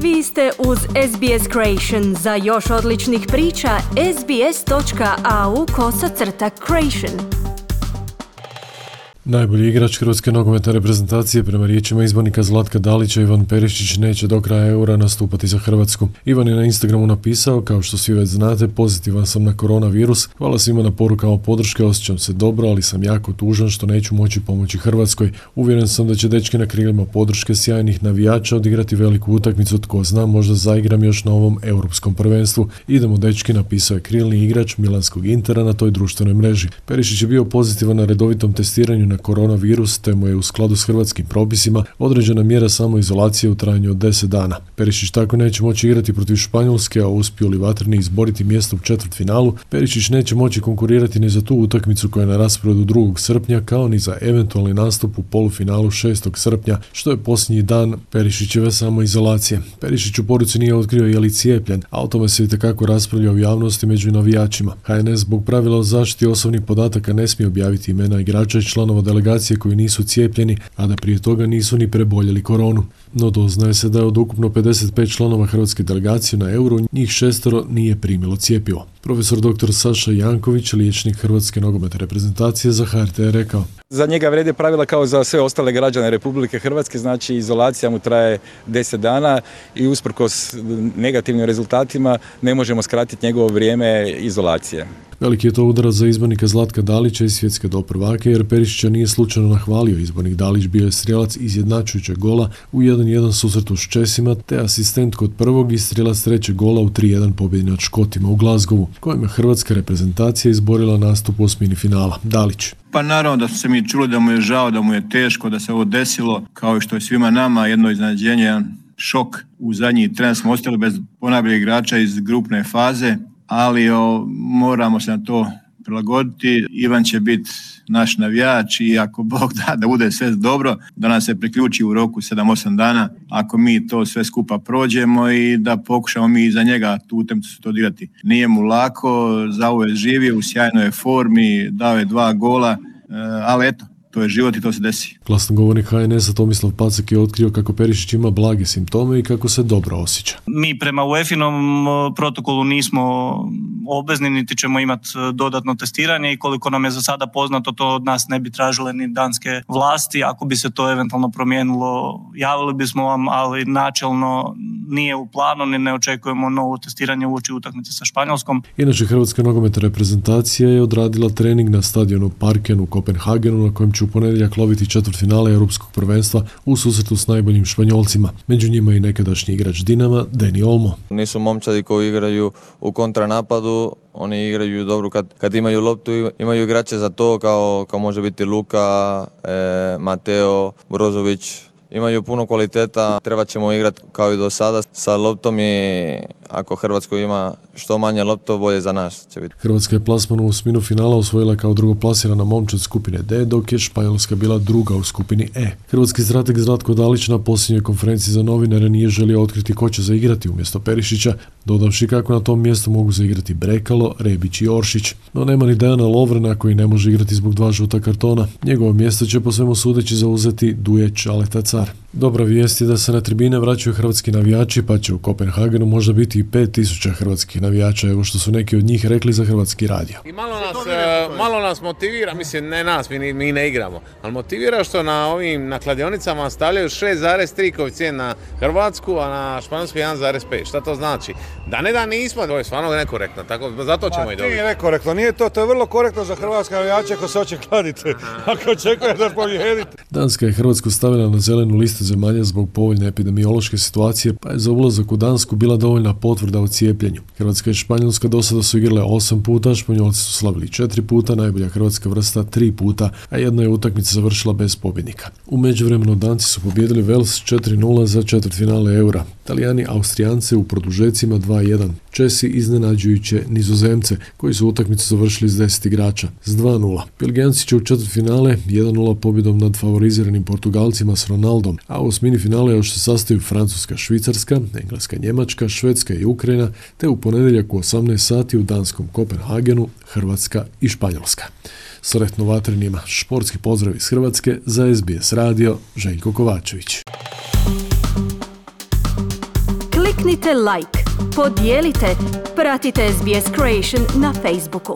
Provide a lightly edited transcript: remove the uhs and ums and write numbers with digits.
Vi ste uz SBS Creation. Za još odličnih priča, sbs.au/creation. Najbolji igrač hrvatske nogometne reprezentacije prema riječima izbornika Zlatka Dalića, Ivan Perišić, neće do kraja Eura nastupati za Hrvatsku. Ivan je na Instagramu napisao: kao što svi već znate, pozitivan sam na koronavirus. Hvala svima na porukama podrške, osjećam se dobro, ali sam jako tužan što neću moći pomoći Hrvatskoj. Uvjeren sam da će dečki na krilima podrške sjajnih navijača odigrati veliku utakmicu, tko zna, možda zaigram još na ovom europskom prvenstvu. Idemo dečki, napisao je krilni igrač milanskog Intera na toj društvenoj mreži. Perišić je bio pozitivan na redovitom testiranju na koronavirus, te mu je u skladu s hrvatskim propisima određena mjera samoizolacije u trajanju od 10 dana. Perišić tako neće moći igrati protiv Španjolske, a uspiju li vatreni izboriti mjesto u četvrtfinalu, Perišić neće moći konkurirati ni za tu utakmicu koja je na rasporedu 2. srpnja, kao ni za eventualni nastup u polufinalu 6. srpnja, što je posljednji dan Perišićeve samoizolacije. Perišić u poruci nije otkrio je li cijepljen, a o tome se itekako raspravlja u javnosti među navijačima. HNS zbog pravila o zaštiti osobnih podataka ne smije objaviti imena igrača i članova delegacije koji nisu cijepljeni, a da prije toga nisu ni preboljeli koronu. No doznaje se da je od ukupno 55 članova hrvatske delegacije na Euro, njih 6 nije primilo cjepivo. Profesor dr. Saša Janković, liječnik hrvatske nogometne reprezentacije, za HRT je rekao: za njega vrijede pravila kao za sve ostale građane Republike Hrvatske, znači izolacija mu traje 10 dana i usprkos negativnim rezultatima ne možemo skratiti njegovo vrijeme izolacije. Veliki je to udarac za izbornika Zlatka Dalića i svjetske doprvake, jer Perišića nije slučajno nahvalio. Izbornik Dalić bio je strijelac izjednačujućeg gola u 1-1 susretu s Česima, te asistent kod prvog i strijelac trećeg gola u 3-1 pobjedi nad Škotima u Glasgowu, kojim je hrvatska reprezentacija izborila nastup u osmini finala. Dalić: pa naravno da su se mi čuli da mu je žao, da mu je teško, da se ovo desilo, kao i što je svima nama jedno iznenađenje, jedan šok. U zadnji tren smo ostali bez ponajboljeg igrača iz grupne faze, ali moramo se na to prilagoditi. Ivan će biti naš navijač i ako Bog da bude sve dobro, da nas se priključi u roku 7-8 dana, ako mi to sve skupa prođemo i da pokušamo mi za njega tu utakmicu to odigrati. Nije mu lako, za ovo je živio, u sjajnoj je formi, dao je 2 gola, ali eto, to je život i to se desi. Glasnogovornik HNS-a Tomislav Pacak je otkrio kako Perišić ima blage simptome i kako se dobro osjeća. Mi prema UEFA-inom protokolu nismo obvezni, niti ćemo imati dodatno testiranje i koliko nam je za sada poznato, to od nas ne bi tražile ni danske vlasti. Ako bi se to eventualno promijenilo, javili bismo vam, ali načelno nije u planu, ni ne očekujemo novo testiranje uoči utakmice sa Španjolskom. Inače, hrvatska nogometna reprezentacija je odradila trening na stadionu Parken u Kopenhagenu, na kojem će u ponedjeljak loviti četvrtfinale europskog prvenstva u susretu s najboljim Španjolcima. Među njima i nekadašnji igrač Dinama, Dani Olmo. Nisu momčadi koji igraju u kontranapadu, oni igraju dobro kad imaju loptu, imaju igrače za to kao može biti Luka, Mateo, Brozović. Imaju puno kvaliteta, treba ćemo igrati kao i do sada sa loptom i ako Hrvatsko ima što manje lopto, bolje za nas će biti. Hrvatska je plasman u osminu finala osvojila kao drugoplasirana momčad skupine D, dok je Španjolska bila druga u skupini E. Hrvatski strateg Zlatko Dalić na posljednjoj konferenciji za novinare nije želio otkriti ko će zaigrati umjesto Perišića, dodavši kako na tom mjestu mogu zaigrati Brekalo, Rebić i Oršić. No nema ni Dejana Lovrena koji ne može igrati zbog 2 žuta kartona. Njegovo mjesto će po svemu sudeći zauzeti Duje Čaleta Car. Dobra vijest je da se na tribine vraćaju hrvatski navijači, pa će u Kopenhagenu možda biti i 5000 hrvatskih navijača, evo što su neki od njih rekli za Hrvatski radio. I malo nas motivira, mislim ne nas, mi ne igramo, ali motivira što na kladionicama stavljaju 6,3 koeficijent na Hrvatsku, a na Španjolsku 1,5. Šta to znači? Da nismo, to je stvarno nekorektno, tako zato ćemo i dobiti. Nije nekorektno, nije to je vrlo korektno za hrvatske navijače ako se hoće kladiti, ako očekuje da pobijedite. Danska je Hrvatsku stavila na zelenu listu zemalja zbog povoljne epidemiološke situacije, pa je za ulazak u Dansku bila dovoljna potvrda o cijepljenju. Hrvatska i Španjolska do sada su igrale 8 puta, Španjolci su slavili 4 puta, najbolja hrvatska vrsta 3 puta, a jedna je utakmica završila bez pobjednika. U međuvremenu Danci su pobijedili Wales 4-0 za četvrtfinale Eura. Talijani Austrijance u produžecima 2-1. Česi iznenađujuće Nizozemce, koji su utakmicu završili s 10 igrača s 2-0. Belgijanci će u četvrtfinale 1-0 pobjedom nad favoriziranim Portugalcima s Ronaldom, a u osmini finale još se sastaju Francuska, Švicarska, Engleska, Njemačka, Švedska i Ukrajina, te u ponedjeljak u 18 sati u danskom Kopenhagenu Hrvatska i Španjolska. Sretno vatrenima, športski pozdrav iz Hrvatske, za SBS radio Željko Kovačević. Kliknite like, podijelite, pratite SBS Creation na Facebooku.